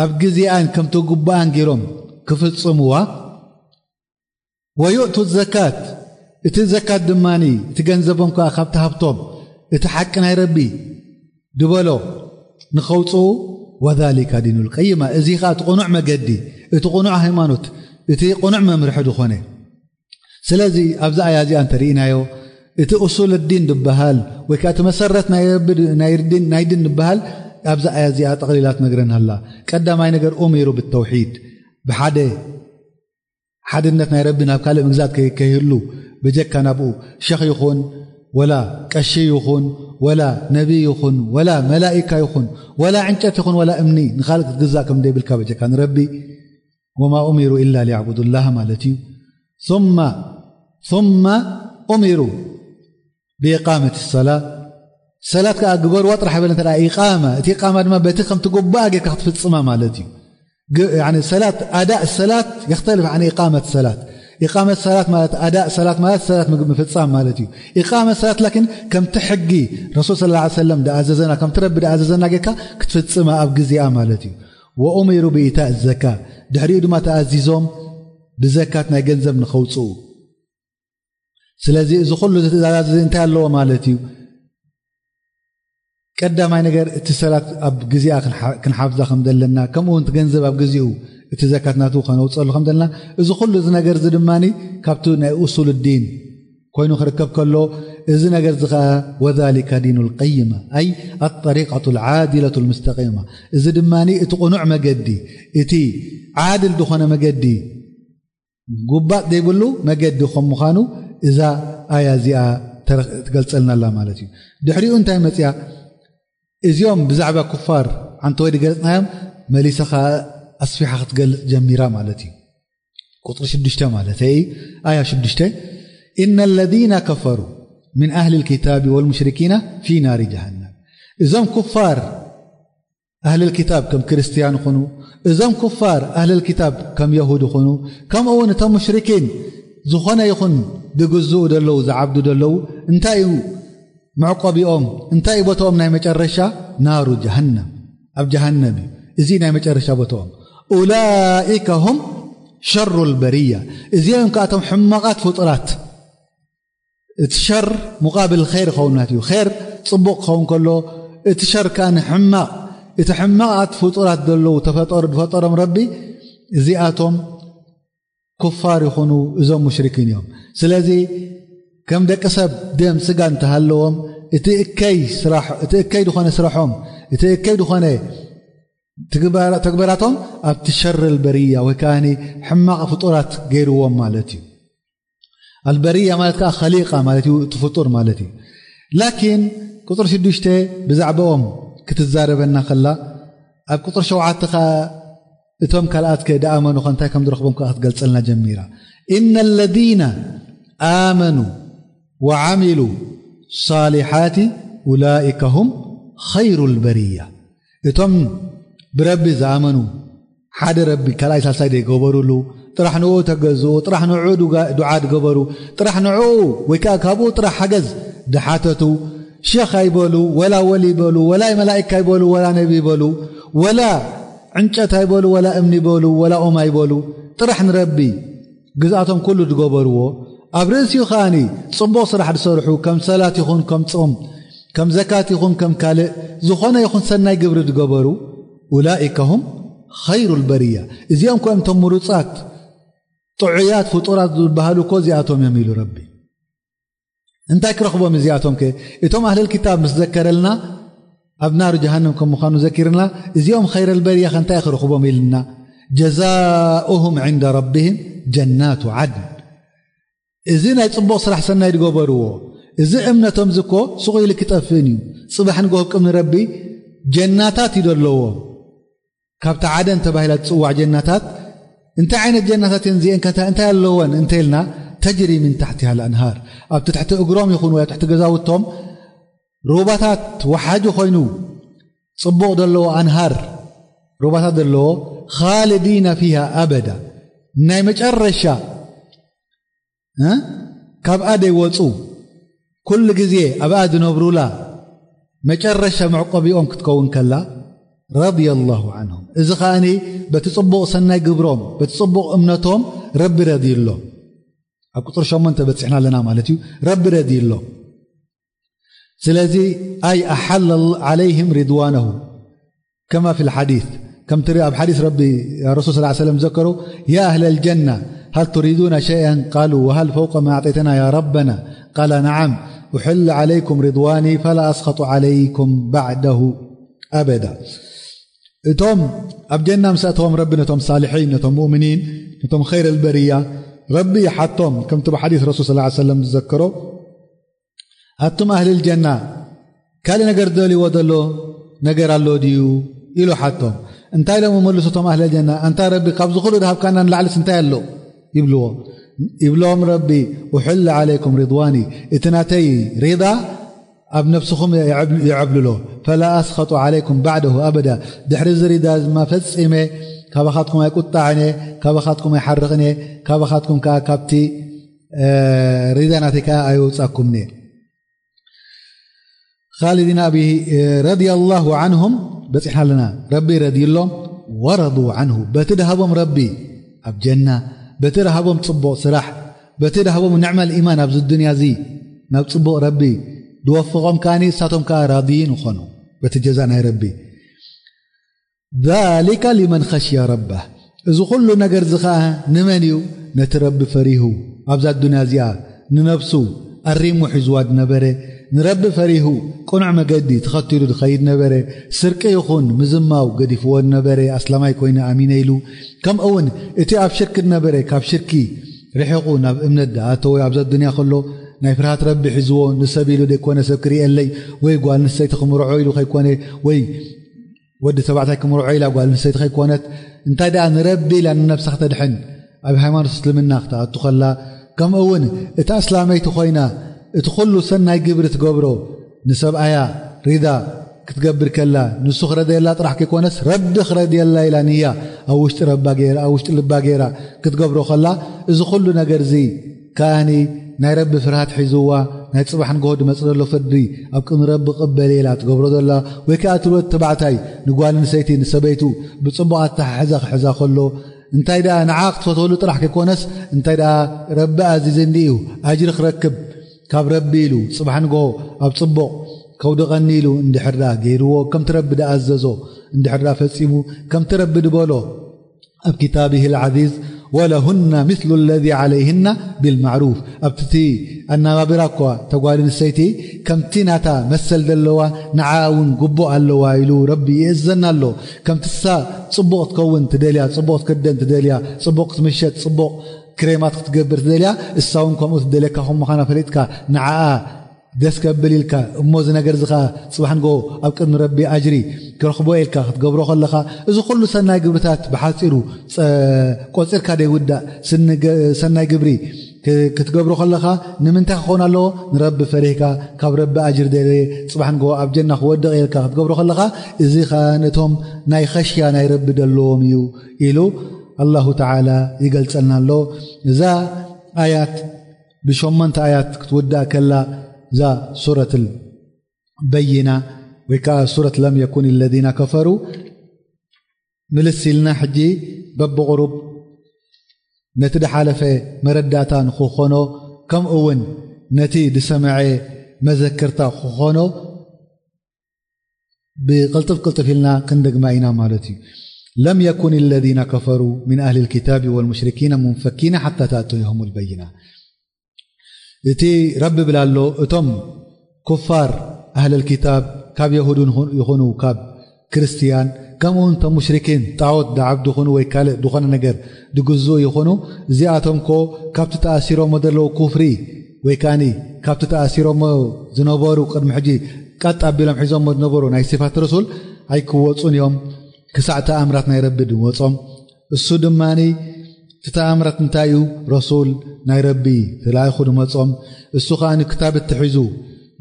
ኣብ ግዜኣን ከምቲ ግቡኣን ገይሮም ክፍጽምዋ። ويؤتوا الزكاة፣ እቲ ዘካት ድማኒ እቲ ገንዘቦም ከኣ ካብቲ ሃብቶም እቲ ሓቂ ናይ ረቢ ድበሎ ንኸውጽኡ። وذلك دين القيمة، እዚ ከኣ እቲ ቅኑዕ መገዲ፣ እቲ ቅኑዕ ሃይማኖት፣ እቲ ቅኑዕ መምርሒ ዝኾነ። ስለዚ ኣብዚ ኣያ እዚኣ እንተርኢናዮ፣ እቲ ኡሱል ዲን ዝበሃል ወይ ከኣ እቲ መሰረት ናይ ረቢ ድ-፣ ናይ ዲን፣ ናይ ዲን ዝበሃል ኣብዚ ኣያ እዚኣ ጠቕሊላ ትነግረና ኣላ። ቀዳማይ ነገር ኡሚሩ ብተውሒድ፣ ብሓደ ሓድነት ናይ ረቢ፣ ናብ ካልእ ምግዛት ከይ-፣ ከይህሉ ብጀካ ናብኡ ሸኽ ይኹን ወላ ቀሺ ይኹን ወላ ነቢ ይኹን ወላ መላኢካ ይኹን ወላ ዕንጨት ይኹን ወላ እምኒ ንኻልእ ክትግዛእ ከም ዘይብልካ ብጀካ ንረቢ። وما أمروا إلا ليعبدوا الله ማለት እዩ። ثم، ثم أمروا بإقامة الصلاة። ሰላት ከኣ ግበርዋ ጥራሕ በለ እንተ ደኣ ኢቃማ፣ እቲ ኢቃማ ድማ በቲ ከምቲ ጉባኣ ጌርካ ክትፍጽማ ማለት እዩ። ግ-፣ ያኒ ሰላት፣ ኣዳእ ሰላት የኽተልፍ ዓን ኢቃመት ሰላት። ኢቃመት ሰላት ማለት፣ ኣዳእ ሰላት ማለት፣ ሰላት ምግብ ምፍጻም ማለት እዩ። ኢቃመት ሰላት ላኪን ከምቲ ሕጊ ረሱል ሰለላሁ ዐለይሂ ወሰለም ደኣዘዘና፣ ከምቲ ረቢ ደኣዘዘና ጌርካ ክትፍጽማ ኣብ ግዜኣ ማለት እዩ። وأمروا بإيتاء الزكاة، ድሕሪኡ ድማ ተኣዚዞም ብዘካት ናይ ገንዘብ ንኸውጽኡ። ስለዚ እዚ ኩሉ እዚ ትእዛዛት እዚ እንታይ ኣለዎ ማለት እዩ? ቀዳማይ ነገር እቲ ሰላት ኣብ ግዜኣ ክንሓ-፣ ክንሓፍዛ ከም ዘለና፣ ከምኡ እውን እቲ ገንዘብ ኣብ ግዜኡ እቲ ዘካት ናቱ ከነውፅኣሉ ከም ዘለና፣ እዚ ኩሉ እዚ ነገር እዚ ድማ ካብቲ ናይ ኡሱል ዲን ኮይኑ ክርከብ ከሎ፣ እዚ ነገር እዚ ኸዓ وذلك دين القيمة، أي الطريقة العادلة المستقيمة። እዚ ድማ እቲ ቅኑዕ መገዲ፣ እቲ ዓድል ዝኾነ መገዲ፣ ጉባጥ ዘይብሉ መገዲ ከም ምዃኑ እዛ ኣያ እዚኣ ተረ-፣ ትገልጸልና ኣላ ማለት እዩ። ድሕሪኡ እንታይ መጽያ? እዚኦም ብዛዕባ ኩፋር ዓንተወይ ዝገለጽናዮም መሊሳ ኸዓ ኣስፊሓ ክትገልጽ ጀሚራ ማለት እዩ። ቁጽሪ ሽዱሽተ ማለት እዩ፣ ኣያ ሽዱሽተ፣ إن الذين كفروا من أهل الكتاب والمشركين في نار جهنم። እዞም ኩፋር ኣህልል ኪታብ ከም ክርስትያን ይኹኑ፣ እዞም ኩፋር ኣህልል ኪታብ ከም የሁድ ይኹኑ፣ ከምኡ እውን እቶም ሙሽሪኪን ዝኾነ ይኹን ዝግዝኡ ደለዉ፣ ዝዓብዱ ደለዉ፣ እንታይ እዩ መዕቆቢኦም? እንታይ እዩ ቦታኦም ናይ መጨረሻ? ናሩ ጀሃነም፣ ኣብ ጀሃነም እዩ። እዚ ናይ መጨረሻ ቦታኦም። أولئك هم ሸሩ ልበርያ። እዚኦም ከኣቶም ሕማቓት ፍጡራት። እቲ ሸር ሙቃብል ኸይር ክኸውን ናት እዩ። ኸይር ጽቡቕ ክኸውን ከሎ፣ እቲ ሸር ከኣ ንሕማቕ፣ እቲ ሕማቓት ፍጡራት ዘለዉ ተፈጠሩ ዝፈጠሮም ረቢ፣ እዚኣቶም ኩፋር ይኹኑ፣ እዞም ሙሽሪኪን እዮም። ስለዚ ከም ደቂ ሰብ ደም ስጋ እንተሃለዎም፣ እቲ እከይ ስራሕ፣ እቲ እከይ ዝኾነ ስራሖም፣ እቲ እከይ ዝኾነ ትግባራ-፣ ተግባራቶም ኣብቲ ሸር ልበርያ ወይ ከኣ ሕማቕ ፍጡራት ገይርዎም ማለት እዩ። ኣልበርያ ማለት ከኣ ኸሊቃ ማለት እዩ፣ እቲ ፍጡር ማለት እዩ። ላኪን ቁጽሪ ሽዱሽተ ብዛዕባኦም ክትዛረበና ከላ፣ ኣብ ቁጽሪ ሸውዓተ ከኣ እቶም ካልኣት ከ ደኣመኑ ከ እንታይ ከም ዝረኽቦም ከኣ ክትገልጸልና ጀሚራ። إن الذين آمنوا وعملوا الصالحات أولئك هم خير البرية። እቶም ብረቢ ዝኣመኑ፣ ሓደ ረቢ ካልኣይ ሳልሳይ ዘይገበሩሉ፣ ጥራሕ ንኡ ተገዝኡ፣ ጥራሕ ንኡ ዱዓ ዝገበሩ፣ ጥራሕ ንኡ ወይ ከዓ ካብኡ ጥራሕ ሓገዝ ድሓተቱ፣ ሸኽ ኣይበሉ፣ ወላ ወሊ ይበሉ፣ ወላ መላእካ ይበሉ፣ ወላ ነቢ ይበሉ፣ ወላ ዕንጨት ኣይበሉ፣ ወላ እምኒ ይበሉ፣ ወላ ኦም ኣይበሉ፣ ጥራሕ ንረቢ ግዝኣቶም ኩሉ ዝገበርዎ፣ ኣብ ርእሲኡ ከኣኒ ጽቡቕ ስራሕ ዝሰርሑ፣ ከም ሰላት ይኹን ከም ጾም፣ ከም ዘካት ይኹን ከም ካልእ ዝኾነ ይኹን ሰናይ ግብሪ ዝገበሩ፣ ኡላኢከ ሁም ኸይሩ ልበርያ፣ እዚኦም ኮ እዮም እቶም ምሩጻት ጥዑያት ፍጡራት ዝበሃሉ እኮ እዚኣቶም እዮም ኢሉ ረቢ። እንታይ ክረኽቦም እዚኣቶም ከ? እቶም ኣህለል ክታብ ምስ ዘከረልና ኣብ ናር ጀሃነም ከም ምዃኑ ዘኪርና፣ እዚኦም ኸይረ ልበርያ ከ እንታይ ክረኽቦም ኢልና፣ ጀዛኡሁም ዕንደ ረቢህም ጀናቱ ዓድን። እዚ ናይ ጽቡቕ ስራሕ ሰናይ ዝገበርዎ፣ እዚ እምነቶም ዝኮ ስቑ ኢሉ ክጠፍእን እዩ። ጽባሕ ንግሆ ቅድሚ ረቢ ጀናታት እዩ ዘለዎም። ካብታ ዓደን ተባሂላ ትጽዋዕ ጀናታት፣ እንታይ ዓይነት ጀናታት እየን እዚአን ከ እንታይ ኣለወን እንተ ኢልና፣ ተጅሪ ምን ታሕቲሃ ልኣንሃር፣ ኣብቲ ትሕቲ እግሮም ይኹን ወይ ኣብ ትሕቲ ገዛውቶም ሩባታት ወሓጂ ኮይኑ ጽቡቕ ዘለዎ ኣንሃር ሩባታት ዘለዎ፣ ኻልዲና ፊሃ ኣበዳ፣ ናይ መጨረሻ እ? ካብኣ ደይወጹ፣ ኩሉ ግዜ ኣብኣ ዝነብሩላ መጨረሻ መዕቆቢኦም ክትከውን ከላ፣ ረድየ ላሁ ዓንሁም። እዚ ከኣኒ በቲ ጽቡቕ ሰናይ ግብሮም፣ በቲ ጽቡቕ እምነቶም ረቢ ረድዩሎም። ኣብ ቁጽሪ ሸሞንተ በጺሕና ኣለና ማለት እዩ። ረቢ ረድዩሎም። ስለዚ ኣይ ኣሓለ ዓለይህም ሪድዋነሁ ከማ ፊል ሓዲስ፣ ከምቲ ኣብ ሓዲስ ረቢ ረሱል ሰለላሁ ዐለይሂ ወሰለም ዘከሩ፣ ያ ኣህለል ጀና ሀል ቱሪዱነ ሸይአን ቃሉ ወሀል ፈውቀ ማ ኣዕጠይተና ያ ረበና ቃለ ነዓም ኡሕለ ዓለይኩም ሪድዋኒ ፈላ ኣስኸጡ ዓለይኩም ባዕደሁ ኣበዳ። እቶም ኣብ ጀና ምስ ኣተዎም ረቢ ነቶም ሳልሒን፣ ነቶም ሙእሚኒን፣ ነቶም ኸይረ ልበርያ ረቢ ይሓቶም፣ ከምቲ ብሓዲስ ረሱል ሰለላሁ ዐለይሂ ወሰለም ዝዘከሮ ኣቱም ኣህልል ጀና ካልእ ነገር ዝደልይዎ ዘሎ ነገር ኣሎ ድዩ ኢሉ ሓቶም። እንታይ ኢሎም ይመልሱ እቶም ኣህልል ጀና? ኣንታ ረቢ ካብዚ ኩሉ ድሃብካና ንላዕልስ እንታይ ኣሎ ይብልዎ። ይብሎም ረቢ ኡሕል ዓለይኩም ሪድዋኒ፣ እቲ ናተይ ሪዳ ኣብ ነብስኹም የዕብ-፣ የዕብልሎ። ፈላ ኣስኸጡ ዓለይኩም ባዕደሁ ኣበዳ፣ ድሕሪ እዚ ሪዳ ድማ ፈጺመ ካባኻትኩም ኣይቁጣዕን እየ፣ ካባኻትኩም ኣይሓርቕን እየ፣ ካባኻትኩም ከዓ ካብቲ እ፣ ሪዳ ናተይ ከዓ ኣይወፃኩምኒ። ኻሊዲን ኣቢ፣ እ፣ ረዲየላሁ ዓንሁም በፂሕና ኣለና። ረቢ ረዲዩሎም፣ ወረዱ ዓንሁ፣ በቲ ድሃቦም ረቢ ኣብ ጀና፣ በቲ ድሃቦም ፅቡቕ ስራሕ፣ በቲ ድሃቦም ንዕመል ኢማን ኣብዚ ዱንያ እዚ ናብ ፅቡቕ ረቢ ድወፍቖም ከኣኒ እሳቶም ከዓ ራድይን ይኾኑ በቲ ጀዛ ናይ ረቢ። ዛሊከ ሊመን ኸሽየ ረበህ። እዚ ኩሉ ነገር እዚ ኸኣ ንመን እዩ? ነቲ ረቢ ፈሪሁ፣ ኣብዛ ኣዱንያ እዚኣ ንነፍሱ ኣሪሙ ሒዝዋ ዝነበረ፣ ንረቢ ፈሪሁ ቅኑዕ መገዲ ተኸቲሉ ዝኸይድ ነበረ። ስርቂ ይኹን ምዝማው ገዲፍዎ ዝነበረ፣ ኣስላማይ ኮይነ ኣሚነ ኢሉ፣ ከምኡ እውን እቲ ኣብ ሽርኪ ዝነበረ ካብ ሽርኪ ርሒቑ ናብ እምነት ዝኣተወ፣ ኣብዛ ኣዱንያ ከሎ ናይ ፍርሃት ረቢ ሒዝዎ፣ ንሰብ ኢሉ ዘይኮነ ሰብ ክርእየለይ ወይ ጓል ንሰይቲ ክምርዖ ኢሉ ከይኮነ ወይ ወዲ ተባዕታይ ክምርዖ ኢላ ጓል ኣንስተይቲ ከይኮነት፣ እንታይ ደኣ ንረቢ ኢላ ንነብሳ ክተድሕን ኣብ ሃይማኖት እስልምና ክትኣቱ ከላ፣ ከምኡ እውን እታ ኣስላመይቲ ኮይና እቲ ኩሉ ሰናይ ግብሪ ትገብሮ ንሰብኣያ ሪዳ ክትገብር ከላ፣ ንሱ ክረድየላ ጥራሕ ከይኮነስ ረቢ ክረድየላ ኢላ ንያ ኣብ ውሽጢ ረባ ገይራ፣ ኣብ ውሽጢ ልባ ገይራ ክትገብሮ ከላ፣ እዚ ኩሉ ነገር እዚ ከኣኒ ናይ ረቢ ፍርሃት ሒዝዋ፣ ናይ ጽባሕ ንግሆ ዝመጽእ ዘሎ ፍርዲ ኣብ ቅድሚ ረቢ ቅበል ኢላ ትገብሮ ዘላ፣ ወይ ከኣ እቲ ወዲ ተባዕታይ ንጓል ኣንስተይቲ፣ ንሰበይቱ ብጽቡቕ ኣተሓሕዛ ክሕዛ ከሎ፣ እንታይ ደኣ ንዓ ክትፈትወሉ ጥራሕ ከይኮነስ፣ እንታይ ደኣ ረቢ ኣዚዝኒ እዩ ኣጅሪ ክረክብ ካብ ረቢ ኢሉ፣ ጽባሕ ንግሆ ኣብ ጽቡቕ ከውድቐኒ ኢሉ እንድሕር ደኣ ገይርዎ፣ ከምቲ ረቢ ደኣዘዞ እንድሕር ደኣ ፈጺሙ፣ ከምቲ ረቢ ድበሎ ኣብ كتابه العزيز، ولهن مثل الذي عليهن بالمعروف። ኣብቲ ኣነባብራ እኳ ተጓል ኣንስተይቲ ከምቲ ናታ መሰል ዘለዋ ንዓ እውን ግቡእ ኣለዋ ኢሉ ረቢ ይእዘና ኣሎ። ከምቲ እሳ ጽቡቕ ትከውን ትደልያ፣ ጽቡቕ ክትክደን ትደልያ፣ ጽቡቕ ክትምሸጥ፣ ጽቡቕ ክሬማት ክትገብር ትደልያ፣ እሳ እውን ከምኡ ትደልየካ ከም ምዃና ፈሊጥካ ንዓኣ ደስ ከብል ኢልካ እሞ፣ እዚ ነገር እዚ ኸዓ ጽባሕ ንግሆ ኣብ ቅድሚ ረቢ ኣጅሪ ክረኽቦ ኢልካ ክትገብሮ ከለኻ፣ እዚ ኩሉ ሰናይ ግብርታት ብሓጺሩ ጸ-፣ ቆጺርካ ደይውዳእ ስኒ ገ-፣ ሰናይ ግብሪ ክ-፣ ክትገብሮ ከለኻ፣ ንምንታይ ክኸውን ኣለዎ? ንረቢ ፈሪህካ፣ ካብ ረቢ ኣጅሪ ደልየ፣ ጽባሕ ንግሆ ኣብ ጀና ክወድቕ ኢልካ ክትገብሮ ከለኻ፣ እዚ ኸዓ ነቶም ናይ ኸሽያ ናይ ረቢ ደለዎም እዩ ኢሉ ኣላሁ ተዓላ ይገልጸልና ኣሎ። እዛ ኣያት ብሸሞንተ ኣያት ክትውዳእ ከላ፣ እዛ ሱረት በይና ወይ ከዓ ሱረት ለም የኩን ለዚነ ከፈሩ ምልስ ኢልና፣ ሕጂ በብቑሩብ ነቲ ድሓለፈ መረዳእታ ንክኾኖ፣ ከምኡ እውን ነቲ ዝሰምዐ መዘክርታ ክኾኖ ብቕልጥፍ ቅልጥፍ ኢልና ክንደግማ ኢና ማለት እዩ። ለም የኩን ለዚነ ከፈሩ ሚን ኣህሊ ልኪታቢ ወልሙሽሪኪነ ሙንፈኪነ ሓታ ተእትየሁም ልበይና። እቲ ረቢ ብላ ኣሎ፣ እቶም ኩፋር ኣህለል ኪታብ ካብ የሁድን ይኹን-፣ ይኹኑ ካብ ክርስትያን፣ ከምኡውን እቶም ሙሽሪኪን ጣዖት ድዓብዱ ይኹኑ ወይ ካልእ ዝኾነ ነገር ድግዝኡ ይኹኑ፣ እዚኣቶም ኮ ካብቲ ተኣሲሮሞ ዘለዉ ኩፍሪ ወይ ከኣኒ ካብቲ ተኣሲሮሞ ዝነበሩ ቅድሚ ሕጂ ቀጥ ኣቢሎም ሒዞሞ ዝነበሩ ናይ ሲፋት ረሱል ኣይክወጹን እዮም ክሳዕ ተኣምራት ናይ ረቢ ድወጾም። እሱ ድማኒ እቲ ተኣምራት እንታይ እዩ? ረሱል ናይ ረቢ ተላኢኹ ድመጾም፣ እሱ ኸኣ ንክታብ እትሒዙ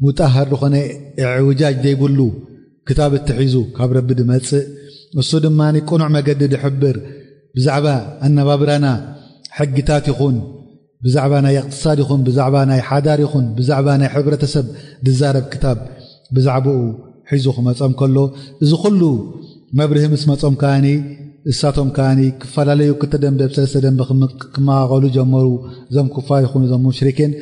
ሙጣሃር ዝኾነ እዕውጃጅ ዘይብሉ ክታብ እትሒዙ ካብ ረቢ ድመጽእ፣ እሱ ድማኒ ቅኑዕ መገዲ ድሕብር፣ ብዛዕባ ኣነባብራና ሕግታት ይኹን፣ ብዛዕባ ናይ እቕትሳድ ይኹን፣ ብዛዕባ ናይ ሓዳር ይኹን፣ ብዛዕባ ናይ ሕብረተሰብ ድዛረብ ክታብ ብዛዕባኡ ሒዙ ክመጾም ከሎ፣ እዚ ኩሉ መብርሂ ምስ መጾም ከኣኒ፣ እሳቶም ከኣኒ ክፈላለዩ፣ ክልተ ደንበ፣ ሰለስተ ደንበ ክም-፣ ክመቓቐሉ ጀመሩ። እዞም ኩፋር ይኹኑ እዞም ሙሽሪኪን፣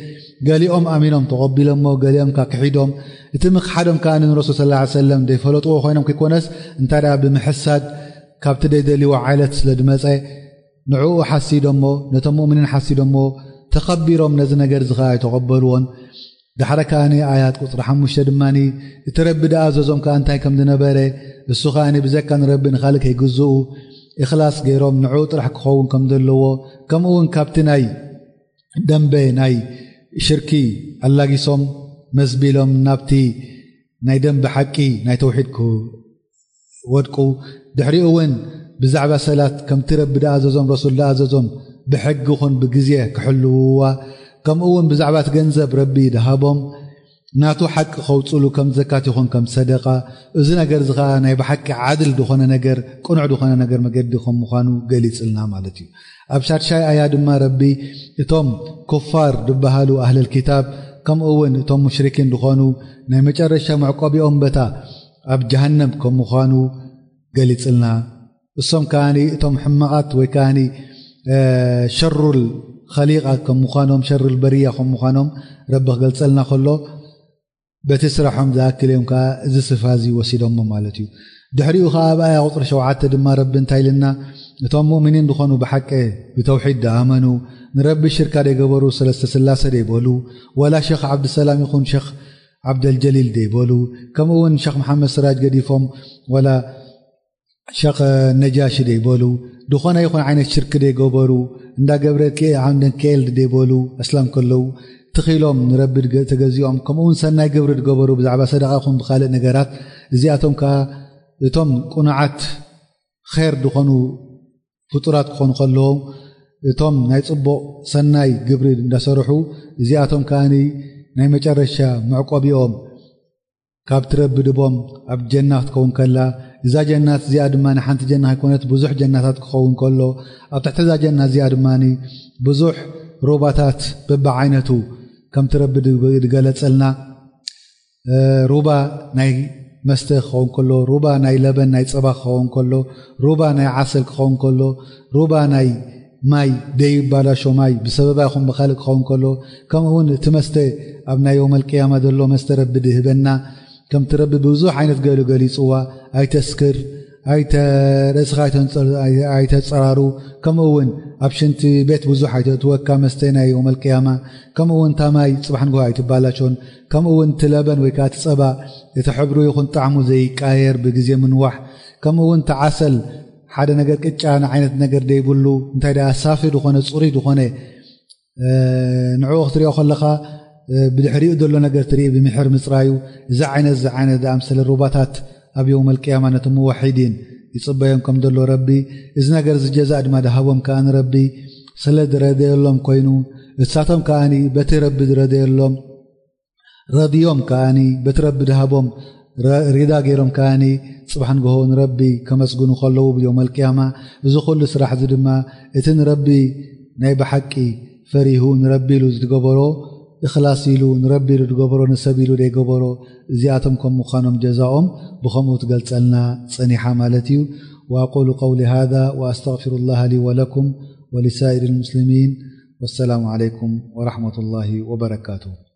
ገሊኦም ኣሚኖም ተቐቢሎሞ፣ ገሊኦም ከኣ ክሒዶም። እቲ ምኽሓዶም ከኣ ንረሱል ሰለላሁ ዐለይሂ ወሰለም ዘይፈለጥዎ ኮይኖም ከይኮነስ፣ እንታይ ደኣ ብምሕሳድ ካብቲ ዘይደልይዎ ዓይነት ስለ ድመጸ፣ ንዕኡ ሓሲዶሞ፣ ነቶም ሙእሚኒን ሓሲዶሞ፣ ተኸቢሮም ነዚ ነገር እዚ ኸኣ ኣይተቐበልዎን። ዳሕረ ከኣ ኣያት ቁጽሪ ሓሙሽተ ድማኒ፣ እቲ ረቢ ደኣ ኣዘዞም ከኣ እንታይ ከም ዝነበረ፣ እሱ ከኣ ብዘካ ንረቢ ንኻልእ ከይግዝኡ፣ ኢኽላስ ገይሮም ንዕኡ ጥራሕ ክኸውን ከም ዘለዎ፣ ከምኡ እውን ካብቲ ናይ ደንበ ናይ ሽርኪ ኣላጊሶም መዝቢሎም ናብቲ ናይ ደንበ ሓቂ ናይ ተውሒድ ክወድቁ፣ ድሕሪኡ እውን ብዛዕባ ሰላት ከምቲ ረቢ ደኣዘዞም ረሱል ደኣዘዞም ብሕጊ ኹን ብግዜ ክሕልውዋ፣ ከምኡ እውን ብዛዕባ እቲ ገንዘብ ረቢ ደሃቦም ናቱ ሓቂ ከውፅሉ ከም ዘካት ይኹን ከም ሰደቃ፣ እዚ ነገር እዚ ኸዓ ናይ ብሓቂ ዓድል ዝኾነ ነገር፣ ቅኑዕ ዝኾነ ነገር መገዲ ከም ምዃኑ ገሊጽልና ማለት እዩ። ኣብ ሻድሻይ ኣያ ድማ ረቢ እቶም ኩፋር ዝበሃሉ ኣህለል ኪታብ ከምኡ እውን እቶም ሙሽሪኪን ዝኾኑ ናይ መጨረሻ መዕቆቢኦም በታ ኣብ ጀሃነም ከም ምዃኑ ገሊጽልና። እሶም ከኣኒ እቶም ሕማቓት ወይ ከኣኒ፣ እ፣ ሸሩል ኸሊቓ ከም ምዃኖም፣ ሸሩል በርያ ከም ምዃኖም ረቢ ክገልጸልና ከሎ፣ በቲ ስራሖም ዝኣክል እዮም ከኣ እዚ ስፍራ እዚ ወሲዶሞ ማለት እዩ። ድሕሪኡ ከኣ ኣብ ኣያ ቁጽሪ ሸውዓተ ድማ ረቢ እንታይ ኢልና? እቶም ሙእሚኒን ዝኾኑ ብሓቂ ብተውሒድ ደኣመኑ፣ ንረቢ ሽርካ ደይገበሩ፣ ሰለስተ ስላሰ ደይበሉ፣ ወላ ሸኽ ዓብድሰላም ይኹን ሸኽ ዓብደልጀሊል ደይበሉ፣ ከምኡ እውን ሸኽ መሓመድ ስራጅ ገዲፎም፣ ወላ ሸኽ ነጃሺ ደይበሉ፣ ዝኾነ ይኹን ዓይነት ሽርክ ደይገበሩ፣ እንዳ ገብረ ኬ-፣ ዓንደን ኬልድ ደይበሉ፣ ኣስላም ከለዉ ትኺሎም ንረቢ ድገ-፣ ተገዚኦም፣ ከምኡ እውን ሰናይ ግብሪ ድገበሩ፣ ብዛዕባ ሰደቓ ይኹን ብኻልእ ነገራት፣ እዚኣቶም ከኣ እቶም ቅኑዓት ኼር ዝኾኑ ፍጡራት ክኾኑ ከለዎም፣ እቶም ናይ ጽቡቕ ሰናይ ግብሪ እንዳሰርሑ፣ እዚኣቶም ከኣ ናይ መጨረሻ መዕቆቢኦም ካብ ትረቢ ድቦም ኣብ ጀና ክትከውን ከላ፣ እዛ ጀናት እዚኣ ድማ ንሓንቲ ጀና ኣይኮነት፣ ብዙሕ ጀናታት ክኸውን ከሎ፣ ኣብ ትሕቲ እዛ ጀና እዚኣ ድማ ብዙሕ ሩባታት በብዓይነቱ ከም ትረቢ ድገለጸልና፣ እ፣ ሩባ ናይ መስተ ክኸውን ከሎ፣ ሩባ ናይ ለበን ናይ ጸባ ክኸውን ከሎ፣ ሩባ ናይ ዓሰል ክኸውን ከሎ፣ ሩባ ናይ ማይ ደይባላሾ ማይ ብሰበባ ይኹን ብኻልእ ክኸውን ከሎ፣ ከምኡ እውን እቲ መስተ ኣብ ናይ የውመል ቅያማ ዘሎ መስተ ረቢ ድህበና፣ ከምቲ ረቢ ብዙሕ ዓይነት ገሉ ገሊጽዋ፣ ኣይተስክር፣ ኣይተ-፣ ርእስኻ ኣይተንጸር-፣ ኣይ-፣ ኣይተጸራሩ፣ ከምኡ እውን ኣብ ሽንቲ ቤት ብዙሕ ኣይተእትወካ መስተ ናይ የውመል ቅያማ፣ ከምኡ እውን እታ ማይ ጽባሕ ንግሆ ኣይትባላሾን፣ ከምኡ እውን እቲ ለበን ወይ ከዓ እቲ ጸባ እቲ ሕብሩ ይኹን ጣዕሙ ዘይቃየር ብግዜ ምንዋሕ፣ ከምኡ እውን እቲ ዓሰል ሓደ ነገር ቅጫ ዓይነት ነገር ደይብሉ፣ እንታይ ደኣ ሳፊ ዝኾነ፣ ጽሩይ ዝኾነ፣ እ፣ ንዕኡ ክትሪኦ ከለኻ፣ እ፣ ብድሕሪኡ ዘሎ ነገር ትርኢ ብምሕር ምጽራዩ። እዚ ዓይነት፣ እዚ ዓይነት ዝኣምሰለ ሩባታት ኣብ የውመል ቅያማ ነቶም ሙወሒዲን ይጽበዮም ከም ዘሎ ረቢ፣ እዚ ነገር እዚ ጀዛእ ድማ ድሃቦም ከኣ ንረቢ ስለ ዝረደየሎም ኮይኑ፣ እሳቶም ከኣኒ በቲ ረቢ ዝረደየሎም ረድዮም ከኣኒ በቲ ረቢ ድሃቦም ረ-፣ ሪዳ ገይሮም ከኣኒ ጽባሕ ንግሆ ንረቢ ከመስግኑ ከለዉ ብዮም ኣልቅያማ። እዚ ኩሉ ስራሕ እዚ ድማ እቲ ንረቢ ናይ ብሓቂ ፈሪሁ ንረቢ ኢሉ ዝገበሮ፣ እኽላስ ኢሉ ንረቢ ኢሉ ዝገበሮ፣ ንሰብ ኢሉ ዘይገበሮ፣ እዚኣቶም ከም ምዃኖም ጀዛኦም ብኸምኡ ትገልጸልና ጸኒሓ ማለት እዩ። وأقول قولي هذا وأستغفر الله لي ولكم ولسائر المسلمين. والسلام عليكم ورحمة الله وبركاته.